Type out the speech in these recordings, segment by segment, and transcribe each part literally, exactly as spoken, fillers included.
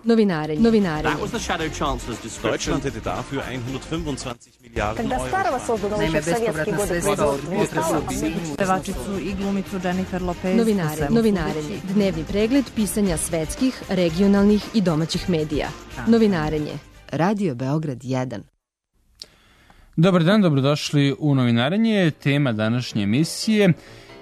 Novinarenje. Novinarenje. That was the shadow chancellor's description. Deutschland hätte dafür hundertfünfundzwanzig Milliarden Когда старого создано еще в советские годы производства. Pevačicu i glumicu Jennifer Lopez. Novinare, novinarenje. Dnevni pregled pisanja svetskih, regionalnih i domaćih medija. Novinarenje. Radio Beograd jedan. Dobar dan, dobrodošli u Novinarenje. Tema današnje emisije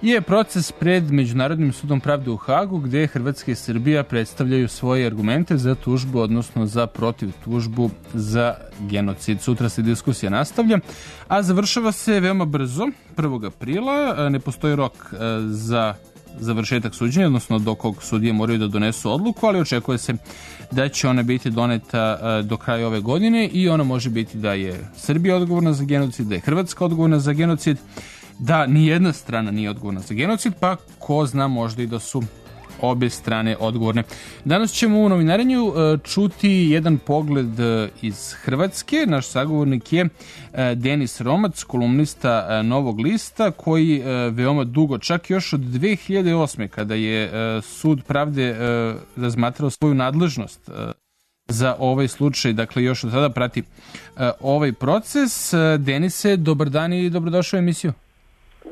je proces pred Međunarodnim sudom pravde u Hagu, gde Hrvatska i Srbija predstavljaju svoje argumente za tužbu, odnosno za protiv tužbu za genocid. Sutra se diskusija nastavlja, a završava se veoma brzo, prvog aprila. Ne postoji rok za završetak suđenja, odnosno do kog sudije moraju da donesu odluku, ali očekuje se da će ona biti doneta do kraja ove godine i ona može biti da je Srbija odgovorna za genocid, da je Hrvatska odgovorna za genocid, da ni jedna strana nije odgovorna za genocid, pa ko zna, možda i da su obe strane odgovorne. Danas ćemo u Novinarenju čuti jedan pogled iz Hrvatske. Naš sagovornik je Denis Romac, kolumnista Novog lista, koji veoma dugo, čak još od dve hiljade osme. kada je Sud pravde razmatrao svoju nadležnost za ovaj slučaj, dakle još od tada prati ovaj proces. Denise, dobar dan i dobrodošao u emisiju.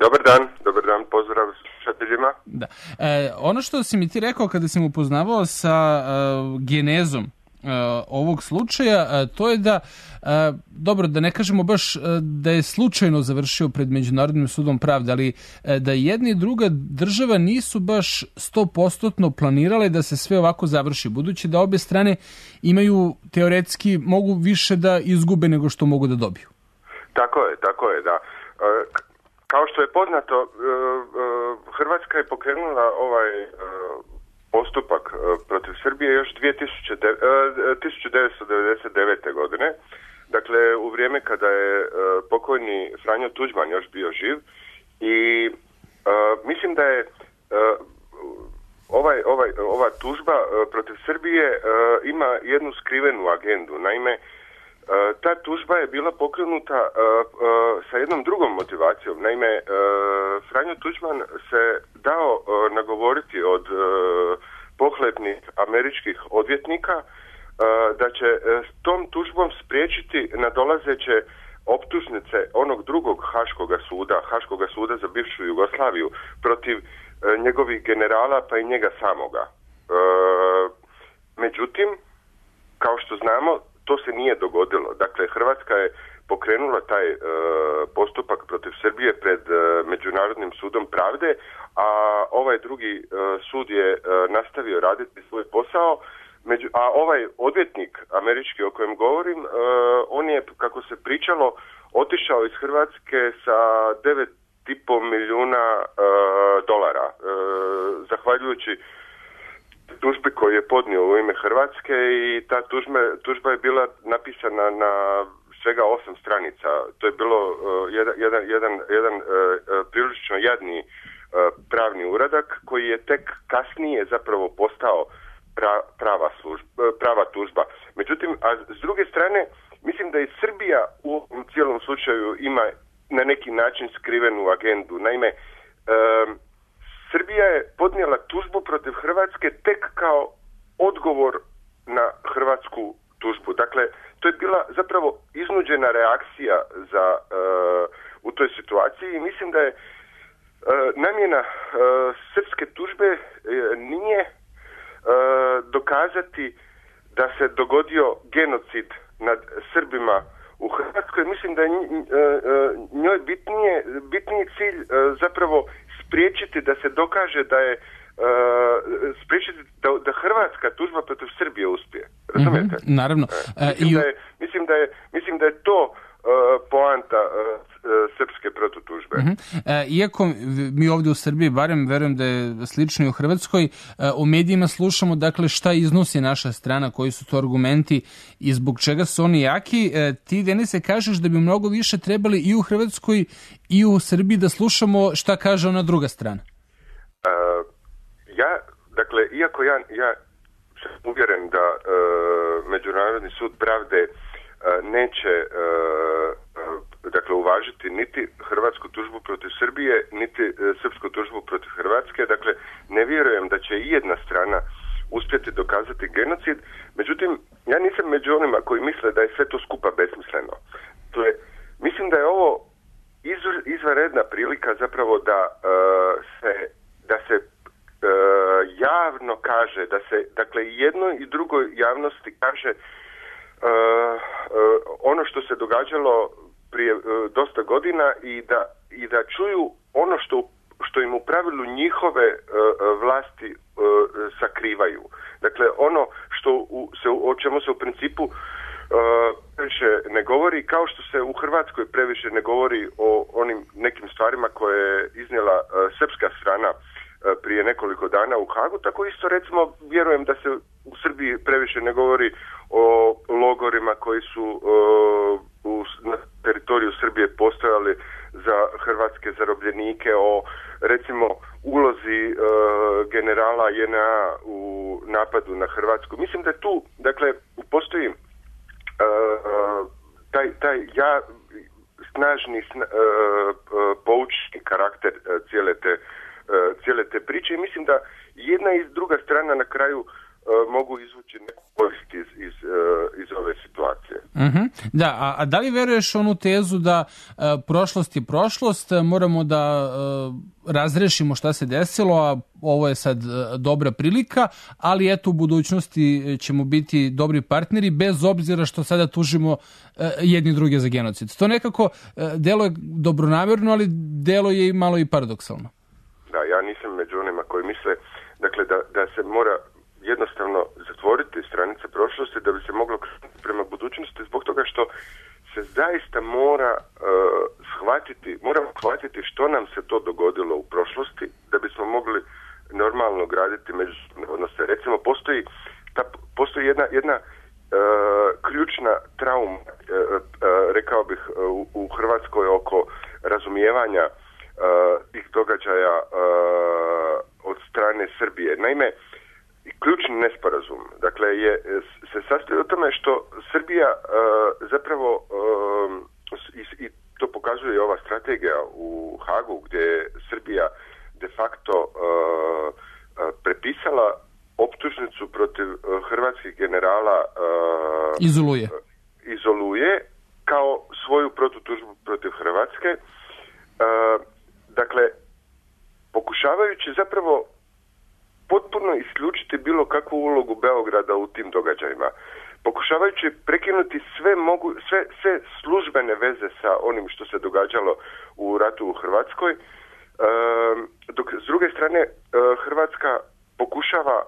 Dobar dan, dobar dan, pozdrav slušateljima. Da. E, ono što si mi ti rekao kada si mu upoznavao sa uh, genezom uh, ovog slučaja, uh, to je da, uh, dobro, da ne kažemo baš uh, da je slučajno završio pred Međunarodnim sudom pravde, ali uh, da jedna i druga država nisu baš sto posto planirale da se sve ovako završi, budući da obe strane imaju teoretski, mogu više da izgube nego što mogu da dobiju. Tako je, tako je, da. Uh, Kao što je poznato, Hrvatska je pokrenula ovaj postupak protiv Srbije još tisuću devetsto devedeset devete. godine. Dakle, u vrijeme kada je pokojni Franjo Tuđman još bio živ. I mislim da je ovaj, ovaj, ova tužba protiv Srbije ima jednu skrivenu agendu. Naime, ta tužba je bila pokrenuta uh, uh, sa jednom drugom motivacijom. Naime, uh, Franjo Tuđman se dao uh, nagovoriti od uh, pohlepnih američkih odvjetnika uh, da će uh, s tom tužbom spriječiti nadolazeće optužnice onog drugog Haškoga suda, Haškoga suda za bivšu Jugoslaviju, protiv uh, njegovih generala pa i njega samoga. Uh, međutim, kao što znamo, to se nije dogodilo. Dakle, Hrvatska je pokrenula taj e, postupak protiv Srbije pred e, Međunarodnim sudom pravde, a ovaj drugi e, sud je e, nastavio raditi svoj posao. Među, a ovaj odvjetnik američki o kojem govorim, e, on je, kako se pričalo, otišao iz Hrvatske sa devet i pol milijuna e, dolara, e, zahvaljujući tužbi koju je podnio u ime Hrvatske, i ta tužba, tužba je bila napisana na svega osam stranica. To je bilo uh, jedan, jedan, jedan, jedan uh, prilično jadni uh, pravni uradak koji je tek kasnije zapravo postao pra, prava, služba, prava tužba. Međutim, a s druge strane, mislim da i Srbija u ovom cijelom slučaju ima na neki način skrivenu agendu. Naime, um, Srbija je podnijela tužbu protiv Hrvatske tek kao odgovor na hrvatsku tužbu. Dakle, to je bila zapravo iznuđena reakcija za, uh, u toj situaciji, i mislim da je uh, namjena uh, srpske tužbe uh, nije uh, dokazati da se dogodio genocid nad Srbima u Hrvatskoj. Mislim da je uh, njoj bitnije, bitniji cilj uh, zapravo spriječiti da se dokaže da je uh, spriječiti da, da hrvatska tužba protiv Srbije uspije. Razumijete? Mm-hmm, naravno. E, mislim, uh, da je, mislim, da je, mislim da je to uh, poanta uh, srpske protutužbe. Mm-hmm. E, iako mi ovdje u Srbiji, barem verujem da je slično i u Hrvatskoj, e, u medijima slušamo, dakle, šta iznosi naša strana, koji su to argumenti i zbog čega su oni jaki. E, ti, Denise, kažeš da bi mnogo više trebali i u Hrvatskoj i u Srbiji da slušamo šta kaže ona druga strana. Uh, ja, dakle, iako ja, ja sam uvjeren da uh, Međunarodni sud pravde uh, neće uh, dakle uvažiti niti hrvatsku tužbu protiv Srbije, niti e, srpsku tužbu protiv Hrvatske. Dakle, ne vjerujem da će i jedna strana uspjeti dokazati genocid. Međutim, ja nisam među onima koji misle da je sve to skupa besmisleno. To je, mislim da je ovo izvanredna prilika zapravo da uh, se da se uh, javno kaže, da se dakle jednoj i drugoj javnosti kaže uh, uh, ono što se događalo prije uh, dosta godina i da i da čuju ono što što im u pravilu njihove uh, vlasti uh, sakrivaju. Dakle, ono što u, se, o čemu se u principu Uh, previše ne govori, kao što se u Hrvatskoj previše ne govori o onim nekim stvarima koje je iznijela uh, srpska strana uh, prije nekoliko dana u Hagu, tako isto recimo vjerujem da se u Srbiji previše ne govori o logorima koji su uh, u, na teritoriju Srbije postojali za hrvatske zarobljenike, o recimo ulozi uh, generala J N A u napadu na Hrvatsku. Mislim da tu, dakle, postoji Uh, taj, taj ja snažni sna, uh, uh, poučni karakter uh, cijele, te, uh, cijele te priče i mislim da jedna i druga strana na kraju uh, mogu izvući neku korist iz, iz, uh, iz ove situacije. Uh-huh. Da, a, a da li veruješ onu tezu da uh, prošlost je prošlost, moramo da uh, razrešimo šta se desilo, a ovo je sad uh, dobra prilika, ali eto u budućnosti ćemo biti dobri partneri bez obzira što sada tužimo uh, jedni druge za genocid. To nekako uh, delo je dobronamerno, ali delo je i malo i paradoksalno. Da, ja nisam među onima koji misle dakle, da, da se mora jednostavno zatvoriti stranice prošlosti da bi se moglo krenuti prema budućnosti zbog toga što se zaista mora uh, shvatiti, moramo shvatiti što nam se to dogodilo u prošlosti da bismo mogli normalno graditi međusobne odnose. Recimo, postoji, ta, postoji jedna, jedna uh, ključna trauma, uh, uh, rekao bih, uh, u Hrvatskoj oko razumijevanja uh, tih događaja uh, od strane Srbije. Naime, ključni nesporazum, dakle, je, se sastoji u tome što Srbija uh, zapravo uh, i, i to pokazuje ova strategija u Hagu gdje je Srbija de facto uh, uh, prepisala optužnicu protiv uh, hrvatskih generala uh, izoluje. Uh, izoluje kao svoju protutužbu protiv Hrvatske. Uh, dakle, pokušavajući zapravo potpuno isključiti bilo kakvu ulogu Beograda u tim događajima. Pokušavajući prekinuti sve, mogu, sve, sve službene veze sa onim što se događalo u ratu u Hrvatskoj, e, dok s druge strane e, Hrvatska pokušava,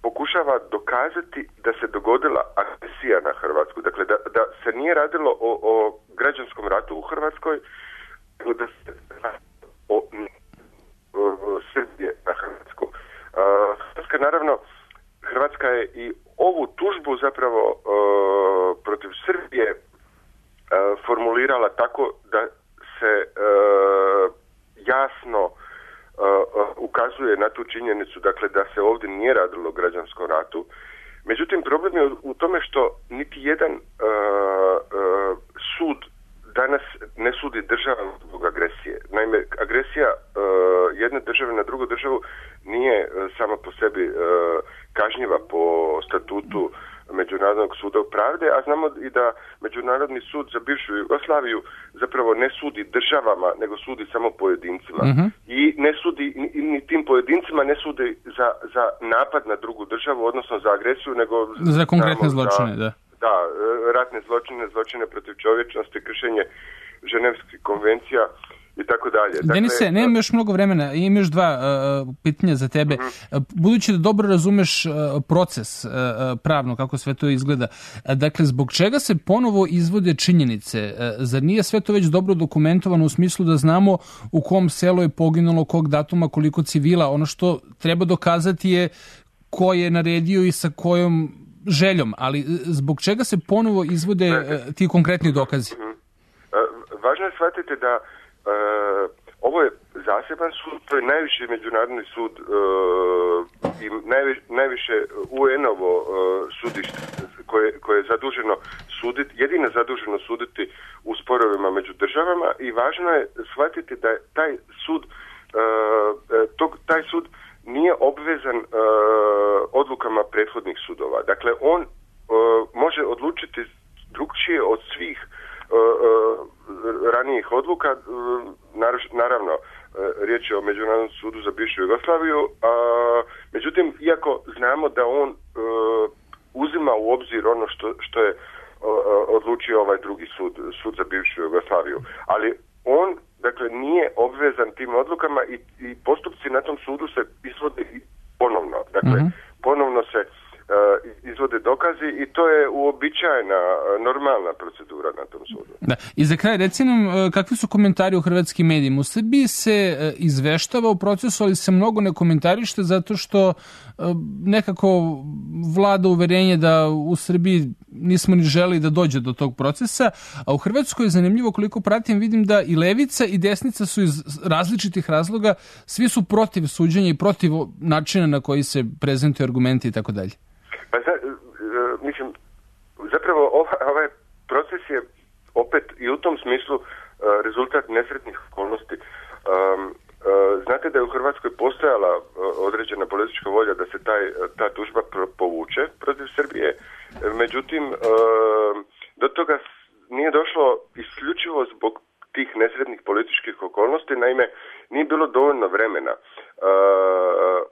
pokušava dokazati da se dogodila agresija na Hrvatsku. Dakle, da, da se nije radilo o, o građanskom ratu u Hrvatskoj, nego da se o, o, o Srbije na Hrvatsku. Hrvatska, naravno, Hrvatska je i ovu tužbu zapravo uh, protiv Srbije uh, formulirala tako da se uh, jasno uh, ukazuje na tu činjenicu, dakle, da se ovdje nije radilo o građanskom ratu. Međutim, problem je u tome što niti jedan uh, uh, sud danas ne sudi država zbog agresije. Naime, agresija uh, jedne države na drugu državu nije uh, sama po sebi uh, kažnjiva po statutu Međunarodnog suda pravde, a znamo i da Međunarodni sud za bivšu Jugoslaviju zapravo ne sudi državama, nego sudi samo pojedincima. Uh-huh. I ne sudi, ni, ni tim pojedincima ne sudi za, za napad na drugu državu, odnosno za agresiju, nego za konkretne zločine, da. Da, ratne zločine, zločine protiv čovječnosti, kršenje ženevskih konvencija i tako dalje. Dakle, Denise, nemam još mnogo vremena, imam još dva uh, pitanja za tebe. Uh-huh. Budući da dobro razumeš uh, proces uh, pravno, kako sve to izgleda, uh, dakle, zbog čega se ponovo izvode činjenice? Uh, zar nije sve to već dobro dokumentovano u smislu da znamo u kom selu je poginulo, kog datuma, koliko civila? Ono što treba dokazati je ko je naredio i sa kojom željom, ali zbog čega se ponovo izvode uh, ti konkretni dokazi? Uh-huh. Uh, važno je shvatiti da uh, ovo je zaseban sud, to je najviši međunarodni sud uh, i najvi, najviše U N-ovo uh, sudište koje, koje je zaduženo suditi, jedino zaduženo suditi u sporovima među državama i važno je shvatiti da je taj sud, uh, tog, taj sud nije obvezan uh, odlukama prethodnih sudova. Dakle, on uh, može odlučiti drugčije od svih uh, uh, ranijih odluka. Uh, naravno, uh, riječ je o Međunarodnom sudu za bivšu Jugoslaviju. Uh, međutim, iako znamo da on uh, uzima u obzir ono što, što je uh, odlučio ovaj drugi sud, sud za bivšu Jugoslaviju. Ali on, dakle, nije obvezan tim odlukama i, i postupci na tom sudu se izvode ponovno. Dakle, mm-hmm. ponovno se uh, izvode dokazi i to je uobičajena, normalna procedura na tom sudu. Da. I za kraj, reci nam, kakvi su komentari u hrvatskim medijima? U Srbiji se izveštava u procesu, ali se mnogo ne komentarište zato što nekako vlada uverenje da u Srbiji nismo ni želi da dođe do tog procesa, a u Hrvatskoj je zanimljivo, koliko pratim, vidim da i levica i desnica su iz različitih razloga, svi su protiv suđenja i protiv načina na koji se prezentuju argumenti i tako dalje. Pa zna, mislim, zapravo ovaj proces je opet i u tom smislu rezultat nesretnih okolnosti. Um, Znate da je u Hrvatskoj postojala određena politička volja da se taj, ta tužba povuče protiv Srbije. Međutim, do toga nije došlo isključivo zbog tih nesretnih političkih okolnosti. Naime, nije bilo dovoljno vremena.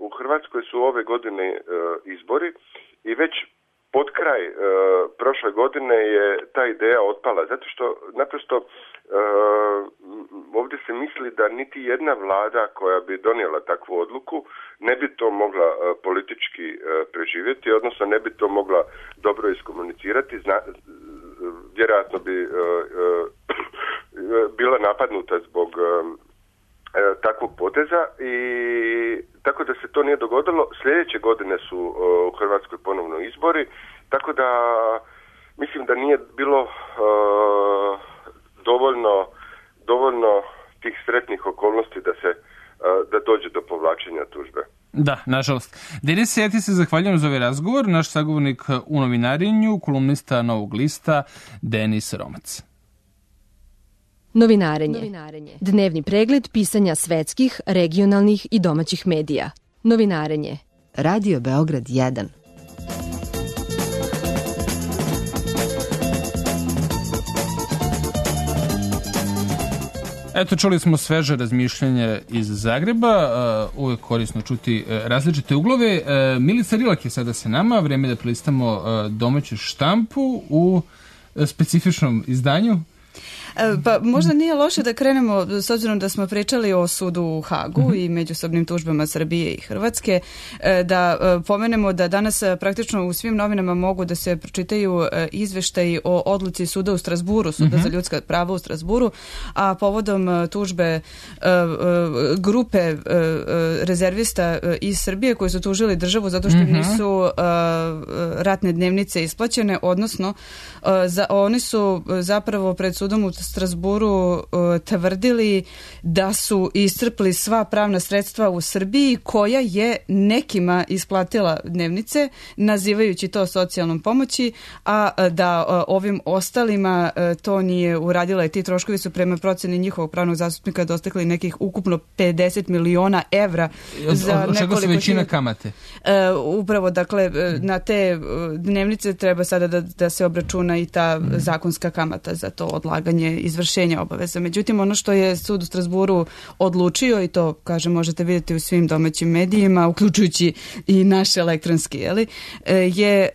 U Hrvatskoj su ove godine izbori i već pod kraj prošle godine je ta ideja otpala. Zato što naprosto ovdje se misli da niti jedna vlada koja bi donijela takvu odluku ne bi to mogla politički preživjeti, odnosno ne bi to mogla dobro iskomunicirati. Zna, vjerojatno bi bila napadnuta zbog takvog poteza i tako da se to nije dogodilo. Sljedeće godine su u Hrvatskoj ponovno izbori, tako da mislim da nije bilo uh, dovoljno, dovoljno tih sretnih okolnosti da se uh, da dođe do povlačenja tužbe. Da, nažalost. Denise, ja ti se zahvaljujem za ovaj razgovor. Naš sagovornik u novinarenju, kolumnista Novog lista, Denis Romac. Novinarenje. Novinarenje. Dnevni pregled pisanja svetskih, regionalnih i domaćih medija. Novinarenje. Radio Beograd jedan. Eto, čuli smo sveže razmišljanje iz Zagreba, uh, uvek korisno čuti uh, različite uglove. Uh, Milica Rilak je sada sa nama, vreme da prelistamo uh, domaću štampu u uh, specifičnom izdanju. Pa možda nije loše da krenemo, s obzirom da smo pričali o sudu u Hagu mm-hmm. i međusobnim tužbama Srbije i Hrvatske, da pomenemo da danas praktično u svim novinama mogu da se pročitaju izveštaji o odluci suda u Strasburu, suda mm-hmm. za ljudska prava u Strasburu, a povodom tužbe grupe rezervista iz Srbije koji su tužili državu zato što im nisu ratne dnevnice isplaćene, odnosno za, oni su zapravo pred sudom u Strasburu uh, tvrdili da su iscrpli sva pravna sredstva u Srbiji koja je nekima isplatila dnevnice nazivajući to socijalnom pomoći, a da uh, ovim ostalima uh, to nije uradila i ti troškovi su prema proceni njihovog pravnog zastupnika dostigli nekih ukupno pedeset miliona evra. Za od čega su većina kamate? Uh, upravo, dakle, uh, na te uh, dnevnice treba sada da, da se obračuna i ta mm. zakonska kamata za to odlaganje izvršenja obaveza. Međutim, ono što je sud u Strasburu odlučio, i to, kažem, možete vidjeti u svim domaćim medijima, uključujući i naš elektronski, jeli, je,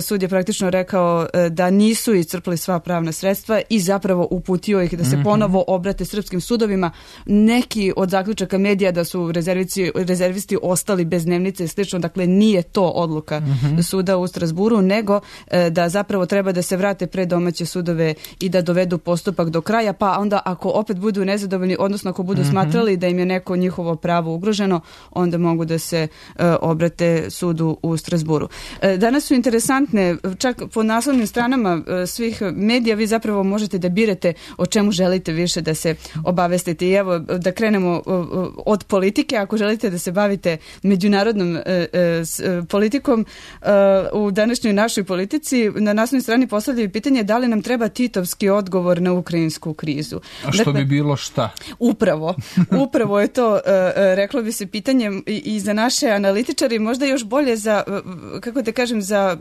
sud je praktično rekao da nisu iscrpli sva pravna sredstva i zapravo uputio ih da se ponovo obrate srpskim sudovima. Neki od zaključaka medija da su rezervisti, rezervisti ostali bez dnevnice i slično, dakle nije to odluka mm-hmm. suda u Strasburu, nego da zapravo treba da se vrate pred domaće sudove i da dovedu postupak do kraja, pa onda ako opet budu nezadovoljni, odnosno ako budu mm-hmm. smatrali da im je neko njihovo pravo ugroženo, onda mogu da se uh, obrate sudu u Strasburu. Uh, danas su interesantne, čak po naslovnim stranama uh, svih medija vi zapravo možete da birate o čemu želite više da se obavestite. I evo, da krenemo uh, od politike. Ako želite da se bavite međunarodnom uh, uh, politikom, uh, u današnjoj našoj politici na naslovnoj strani postavljaju pitanje da li nam treba titovski odgovor odgovor na ukrajinsku krizu. A što dakle, bi bilo šta? Upravo. Upravo je to, uh, reklo bi se, pitanje i, i za naše analitičare, možda još bolje za, uh, kako da kažem, za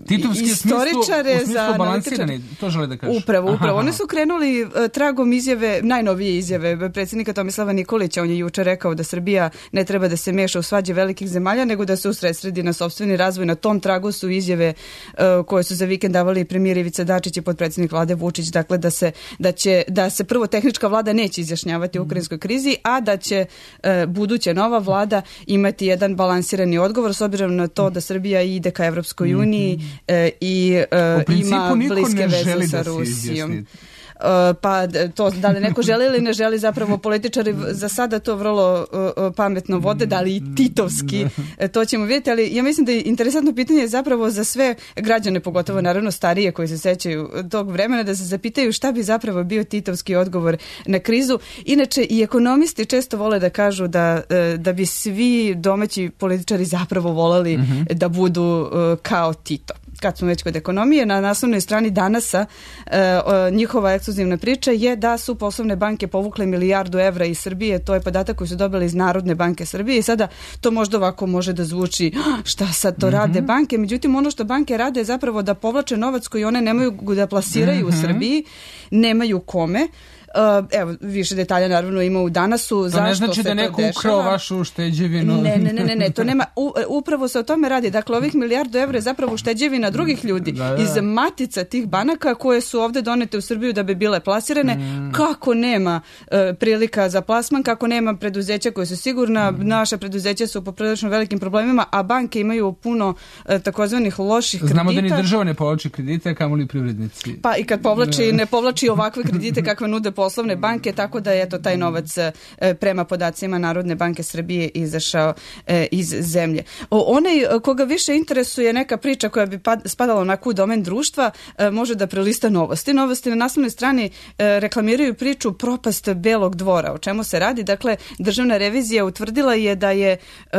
Titovski istoričare, smislu, za analitičare. To žele da kažem. Upravo, upravo. Oni su krenuli uh, tragom izjave, najnovije izjave predsjednika Tomislava Nikolića. On je juče rekao da Srbija ne treba da se meša u svađe velikih zemalja, nego da se usredsredi na sopstveni razvoj. Na tom tragu su izjave uh, koje su za vikend davali premijer Ivica Dačić i potpredsjednik vlade Vučić, dakle da se, da će, da se prvo tehnička vlada neće izjašnjavati u ukrajinskoj krizi, a da će uh, buduća nova vlada imati jedan balansirani odgovor s obzirom na to da Srbija ide ka Evropskoj uniji uh, i uh, ima bliske veze sa Rusijom. Pa to da li neko želi ili ne želi, zapravo političari za sada to vrlo uh, pametno vode, da li i titovski, to ćemo vidjeti, ali ja mislim da je interesantno pitanje zapravo za sve građane, pogotovo naravno starije koji se sećaju tog vremena, da se zapitaju šta bi zapravo bio titovski odgovor na krizu. Inače i ekonomisti često vole da kažu da, da bi svi domaći političari zapravo voleli mm-hmm. da budu uh, kao Tito. Kad smo već kod ekonomije, na naslovnoj strani Danasa e, njihova ekskluzivna priča je da su poslovne banke povukle milijardu evra iz Srbije. To je podatak koji su dobili iz Narodne banke Srbije i sada to možda ovako može da zvuči šta sad to mm-hmm. rade banke. Međutim, ono što banke rade je zapravo da povlače novac koji one nemaju da plasiraju mm-hmm. u Srbiji, nemaju kome. Uh, evo, više detalja naravno ima u Danasu. To zašto ne znači da neko ukrao vašu ušteđevinu. Ne, ne, ne, ne, ne, to nema, u, upravo se o tome radi. Dakle, ovih milijardu evra je zapravo ušteđevina drugih ljudi da, da. iz matica tih banaka koje su ovde donete u Srbiju da bi bile plasirane. Mm. Kako nema uh, prilika za plasman, kako nema preduzeća koje su sigurna, mm. naša preduzeća su po prilično velikim problemima, a banke imaju puno uh, takozvanih loših kredita. Znamo da ni država ne povlači kredite, kamoli privrednici. Pa i kad povlači, ne povlači ovakve kredite kakve nude poslovne banke, tako da je to taj novac e, prema podacima Narodne banke Srbije izašao e, iz zemlje. O, onaj koga više interesuje neka priča koja bi pad, spadala onako u domen društva, e, može da prelista novosti. Novosti na naslovnoj strani e, reklamiraju priču propast Belog dvora. O čemu se radi? Dakle, državna revizija utvrdila je da je e,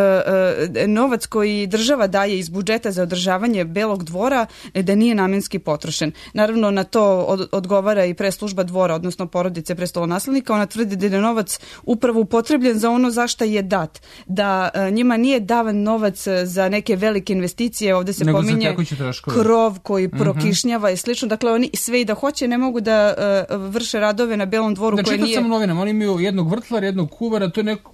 e, novac koji država daje iz budžeta za održavanje Belog dvora e, da nije namenski potrošen. Naravno, na to od, odgovara i preslužba dvora, odnosno porodice prestolonaslednika. Ona tvrdi da je novac upravo upotrebljen za ono za šta je dat. Da e, njima nije davan novac za neke velike investicije. Ovde se nego pominje krov koji mm-hmm. prokišnjava i slično. Dakle, oni sve i da hoće ne mogu da e, vrše radove na Belom dvoru da, koje nije... Da, čekam novinama. Oni imaju jednog vrtlara, jednog kuvara, to je neko...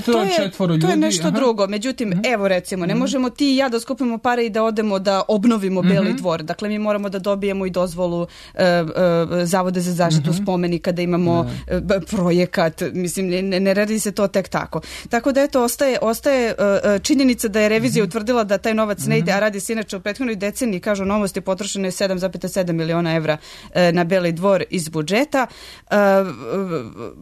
To, to je četvoro ljudi. To je nešto Aha. drugo. Međutim, mm-hmm. evo recimo, ne možemo ti i ja da skupimo pare i da odemo da obnovimo mm-hmm. Beli dvor. Dakle, mi moramo da dobijemo i dozvolu e, e, Zavode za zaštitu mm-hmm. spomenika, da imamo da. projekat, mislim, ne, ne radi se to tek tako. Tako da eto, ostaje, ostaje uh, činjenica da je revizija utvrdila da taj novac ne ide, a radi se inače u prethodnoj deceniji, kažu novosti, potrošeno je sedam zarez sedam miliona evra uh, na Beli dvor iz budžeta. Uh,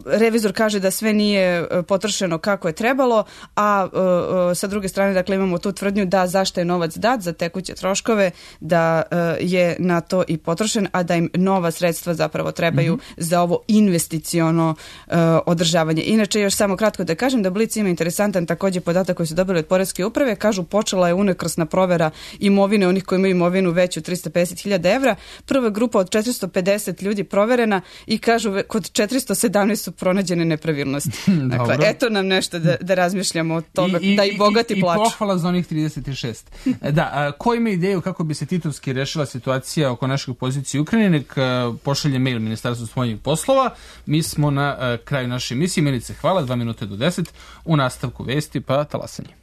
revizor kaže da sve nije potrošeno kako je trebalo, a uh, uh, sa druge strane, dakle, imamo tu tvrdnju da zašto je novac dat za tekuće troškove, da uh, je na to i potrošen, a da im nova sredstva zapravo trebaju mm-hmm. za ovo investiciono uh, održavanje. Inače, još samo kratko da kažem da Blic ima interesantan također podatak koji su dobili od Poreske uprave. Kažu, počela je unakrsna provera imovine onih koji imaju imovinu veću trista pedeset hiljada evra. Prva grupa od četiristo pedeset ljudi proverena i kažu kod četiristo sedamnaest su pronađene nepravilnosti. Dakle, eto nam nešto da, da razmišljamo o tome, I, da i bogati i, plaču. I pohvala za onih trideset šest. Da, a, ko ima ideju kako bi se titovski rešila situacija oko našeg pozicije u Ukrajini, nek pošalje mail Ministarstvu spoljnih poslova. Mi smo na uh, kraju naše emisije. Milice, hvala, dva minute do deset. U nastavku vesti pa talasanje.